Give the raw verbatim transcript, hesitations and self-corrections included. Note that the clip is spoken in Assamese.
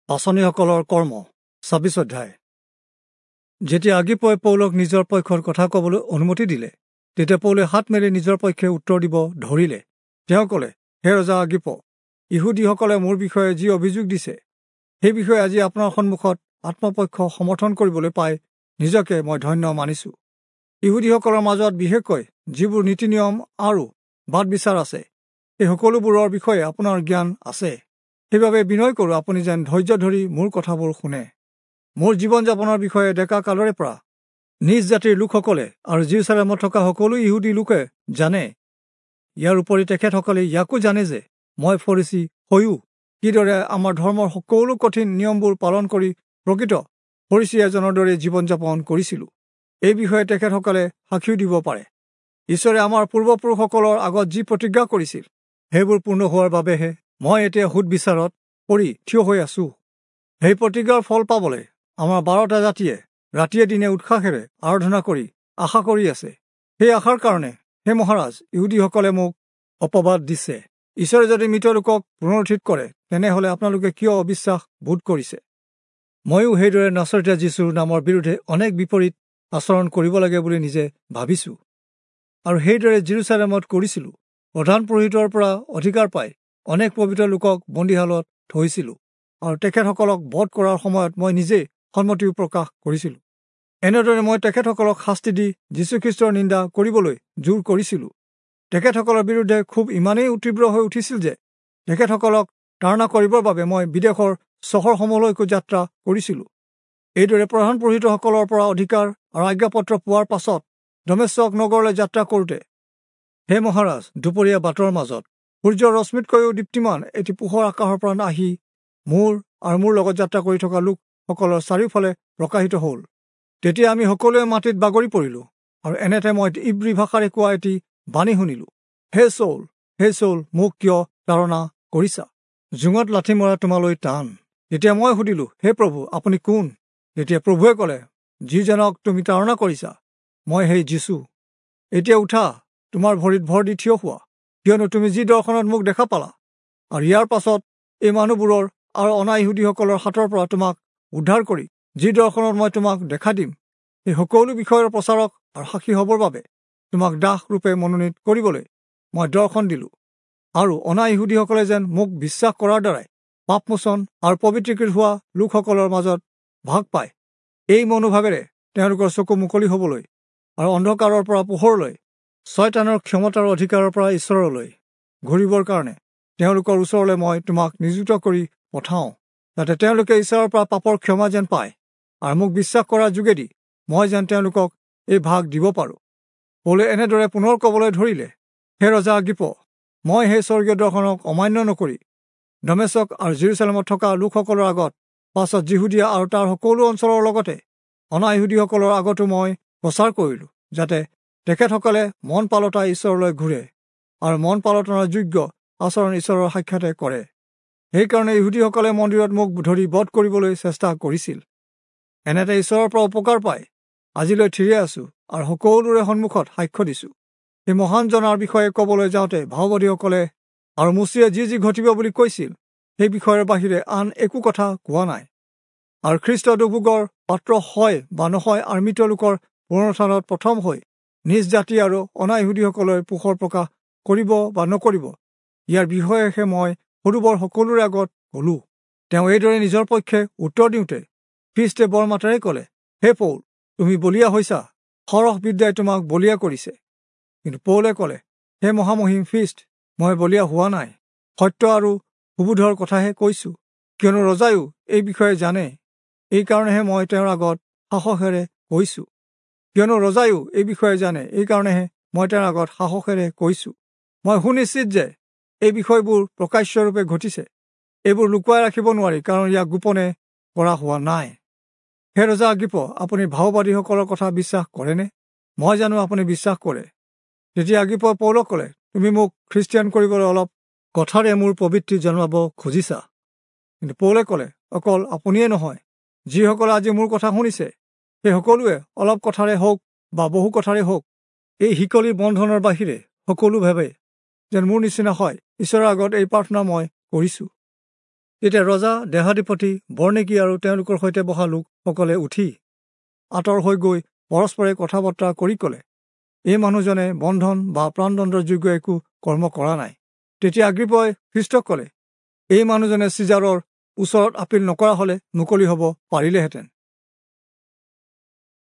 পাঁচনিসকলৰ কৰ্ম ছাব্বিছ অধ্যায়। যেতিয়া আগিপই পৌলক নিজৰ পক্ষৰ কথা ক'বলৈ অনুমতি দিলে, তেতিয়া পৌলে হাত মেলি নিজৰ পক্ষে উত্তৰ দিব ধৰিলে। তেওঁ ক'লে, হে ৰজা আগিপ, ইহুদীসকলে মোৰ বিষয়ে যি অভিযোগ দিছে সেই বিষয়ে আজি আপোনাৰ সন্মুখত আত্মপক্ষ সমৰ্থন কৰিবলৈ পাই নিজকে মই ধন্য মানিছোঁ। ইহুদীসকলৰ মাজত বিশেষকৈ যিবোৰ নীতি নিয়ম আৰু বাদ বিচাৰ আছে, এই সকলোবোৰৰ বিষয়ে আপোনাৰ জ্ঞান আছে। সেইবাবে বিনয় কৰোঁ, আপুনি যেন ধৈৰ্য ধৰি মোৰ কথাবোৰ শুনে। মোৰ জীৱন যাপনৰ বিষয়ে ডেকা কালৰে পৰা নিজ জাতিৰ লোকসকলে আৰু যিৰূচালেমত থকা সকলো ইহুদী লোকে জানে। ইয়াৰ উপৰি তেখেতসকলে ইয়াকো জানে যে মই ফৰীচী হৈও কিদৰে আমাৰ ধৰ্মৰ সকলো কঠিন নিয়মবোৰ পালন কৰি প্ৰকৃত ফৰীচী এজনৰ দৰে জীৱন যাপন কৰিছিলোঁ। এই বিষয়ে তেখেতসকলে সাক্ষীও দিব পাৰে। ঈশ্বৰে আমাৰ পূৰ্বপুৰুষসকলৰ আগত যি প্ৰতিজ্ঞা কৰিছিল সেইবোৰ পূৰ্ণ হোৱাৰ বাবেহে মই এতিয়া সুদ বিচাৰত পৰি থিয় হৈ আছোঁ। সেই প্ৰতিজ্ঞাৰ ফল পাবলৈ আমাৰ বাৰটা জাতিয়ে ৰাতিয়ে দিনে উৎসাহেৰে আৰাধনা কৰি আশা কৰি আছে। সেই আশাৰ কাৰণে হে মহাৰাজ, ইহুদীসকলে মোক অপবাদ দিছে। ঈশ্বৰে যদি মৃত লোকক পুনৰুত্থিত কৰে, তেনেহ'লে আপোনালোকে কিয় অবিশ্বাস বোধ কৰিছে? ময়ো সেইদৰে নাচৰতীয়া যীশুৰ নামৰ বিৰুদ্ধে অনেক বিপৰীত আচৰণ কৰিব লাগে বুলি নিজে ভাবিছোঁ, আৰু সেইদৰে যিৰূচালেমত কৰিছিলোঁ। প্ৰধান পুৰোহিতৰ পৰা অধিকাৰ পাই অনেক পবিত্ৰ লোকক বন্দীশালত থৈছিলোঁ, আৰু তেখেতসকলক বধ কৰাৰ সময়ত মই নিজেই সন্মতিও প্ৰকাশ কৰিছিলোঁ। এনেদৰে মই তেখেতসকলক শাস্তি দি যীশুখ্ৰীষ্টৰ নিন্দা কৰিবলৈ জোৰ কৰিছিলোঁ। তেখেতসকলৰ বিৰুদ্ধে খুব ইমানেই তীব্ৰ হৈ উঠিছিল যে তেখেতসকলক তাড়না কৰিবৰ বাবে মই বিদেশৰ চহৰসমূহলৈকো যাত্ৰা কৰিছিলোঁ। এইদৰে প্ৰধান পুৰোহিতসকলৰ পৰা অধিকাৰ আৰু আজ্ঞাপত্ৰ পোৱাৰ পাছত দমেচক নগৰলৈ যাত্ৰা কৰোঁতে, হে মহাৰাজ, দুপৰীয়া বাটৰ মাজত সূৰ্যৰ ৰশ্মিতকৈও দীপ্তিমান এটি পোহৰ আকাশৰ পৰা আহি মোৰ আৰু মোৰ লগত যাত্ৰা কৰি থকা লোকসকলৰ চাৰিওফালে প্ৰকাশিত হ'ল। তেতিয়া আমি সকলোৱে মাটিত বাগৰি পৰিলোঁ, আৰু এনেতে মই ইব্ৰী ভাষাৰে কোৱা এটি বাণী শুনিলোঁ, হে চৌল, হে চৌল, মোক কিয় তাড়না কৰিছা? জোঙত লাঠি মৰা তোমালৈ টান। তেতিয়া মই সুধিলোঁ, হে প্ৰভু, আপুনি কোন? তেতিয়া প্ৰভুৱে ক'লে, যিজনক তুমি তাড়না কৰিছা, মই সেই যীচু। এতিয়া উঠা, তোমাৰ ভৰিত ভৰ দি থিয় হোৱা, কিয়নো তুমি যি দৰ্শনত মোক দেখা পালা, আৰু ইয়াৰ পাছত এই মানুহবোৰৰ আৰু অনা ইহুদীসকলৰ হাতৰ পৰা তোমাক উদ্ধাৰ কৰি যি দৰ্শনত মই তোমাক দেখা দিম, সেই সকলো বিষয়ৰ প্ৰচাৰক আৰু সাক্ষী হ'বৰ বাবে তোমাক দাস ৰূপে মনোনীত কৰিবলৈ মই দৰ্শন দিলোঁ। আৰু অনা ইহুদীসকলে যেন মোক বিশ্বাস কৰাৰ দ্বাৰাই পাপমোচন আৰু পবিত্ৰীকৃত হোৱা লোকসকলৰ মাজত ভাগ পায়, এই মনোভাৱেৰে তেওঁলোকৰ চকু মুকলি হ'বলৈ আৰু অন্ধকাৰৰ পৰা পোহৰলৈ, ছয়তানৰ ক্ষমতাৰ অধিকাৰৰ পৰা ঈশ্বৰলৈ ঘূৰিবৰ কাৰণে তেওঁলোকৰ ওচৰলৈ মই তোমাক নিযুক্ত কৰি পঠাওঁ, যাতে তেওঁলোকে ঈশ্বৰৰ পৰা পাপৰ ক্ষমা যেন পায় আৰু মোক বিশ্বাস কৰাৰ যোগেদি মই যেন তেওঁলোকক এই ভাগ দিব পাৰোঁ। পৌলে এনেদৰে পুনৰ ক'বলৈ ধৰিলে, হে ৰজা আগিপ, মই সেই স্বৰ্গীয় দৰ্শনক অমান্য নকৰি দমেচক আৰু যিৰূচালেমত থকা লোকসকলৰ আগত, পাছত যিহুদীয়া আৰু তাৰ সকলো অঞ্চলৰ লগতে অনা ইহুদীসকলৰ আগতো মই প্ৰচাৰ কৰিলোঁ, যাতে তেখেতসকলে মন পালতাই ঈশ্বৰলৈ ঘূৰে আৰু মন পালটনৰ যোগ্য আচৰণ ঈশ্বৰৰ সাক্ষাতে কৰে। সেইকাৰণে ইহুদীসকলে মন্দিৰত মোক ধৰি বধ কৰিবলৈ চেষ্টা কৰিছিল। এনেতে ঈশ্বৰৰ পৰা উপকাৰ পাই আজিলৈ থিৰে আছোঁ আৰু সকলোৰে সন্মুখত সাক্ষ্য দিছোঁ। সেই মহান জনাৰ বিষয়ে ক'বলৈ যাওঁতে ভাওবাদীসকলে আৰু মোচিয়ে যি যি ঘটিব বুলি কৈছিল সেই বিষয়ৰ বাহিৰে আন একো কথা কোৱা নাই। আৰু খ্ৰীষ্ট দুৰ্ভোগৰ পাত্ৰ হয় বা নহয় আৰু মৃত লোকৰ পুনৰুত্থানত প্ৰথম হৈ নিজ জাতি আৰু অনা ইহুদীসকলে পোহৰ প্ৰকাশ কৰিব বা নকৰিব, ইয়াৰ বিষয়েহে মই সৰু বৰ সকলোৰে আগত ক'লোঁ। তেওঁ এইদৰে নিজৰ পক্ষে উত্তৰ দিওঁতে খ্ৰীষ্টে বৰ মাতেৰে ক'লে, হে পৌল, তুমি বলীয়া হৈছা, সৰহ বিদ্যাই তোমাক বলীয়া কৰিছে। কিন্তু পৌলে ক'লে, হে মহামহিম খ্ৰীষ্ট, মই বলীয়া হোৱা নাই, সত্য আৰু সুবোধৰ কথাহে কৈছোঁ, কিয়নো ৰজায়ো এই বিষয়ে জানে, এইকাৰণেহে মই তেওঁৰ আগত সাহসেৰে কৈছোঁ। কিয়নো ৰজায়ো এই বিষয়ে জানে, এইকাৰণেহে মই তেওঁৰ আগত সাহসেৰে কৈছোঁ। মই সুনিশ্চিত যে এই বিষয়বোৰ প্ৰকাশ্যৰূপে ঘটিছে, এইবোৰ লুকুৱাই ৰাখিব নোৱাৰি, কাৰণ ইয়াক গোপনে কৰা হোৱা নাই। হে ৰজা আগিপ, আপুনি ভাওবাদীসকলৰ কথা বিশ্বাস কৰেনে? মই জানো আপুনি বিশ্বাস কৰে। তেতিয়া আগিপ পৌলক ক'লে, তুমি মোক খ্ৰীষ্টিয়ান কৰিবলৈ অলপ কথাৰে মোৰ পবিত্ৰী জন্মাব খুজিছা। কিন্তু পৌলে ক'লে, অকল আপুনিয়ে নহয়, যিসকলে আজি মোৰ কথা শুনিছে সেই সকলোৱে অলপ কথাৰে হওক বা বহু কথাৰে হওক, এই শিকলিৰ বন্ধনৰ বাহিৰে সকলো ভাবে যেন মোৰ নিচিনা হয়, ঈশ্বৰৰ আগত এই প্ৰাৰ্থনা মই কৰিছোঁ। তেতিয়া ৰজা, দেহাধিপতি, বৰ্ণিকী আৰু তেওঁলোকৰ সৈতে বহা লোকসকলে উঠি আঁতৰ হৈ গৈ পৰস্পৰে কথা বতৰা কৰি ক'লে, এই মানুহজনে বন্ধন বা প্ৰাণদণ্ডৰ যোগ্য একো কৰ্ম কৰা নাই। তেতিয়া আগ্ৰিপই খ্ৰীষ্টক ক'লে, এই মানুহজনে চিজাৰৰ ওচৰত আপিল নকৰা হলে মুকলি হ'ব পাৰিলেহেঁতেন।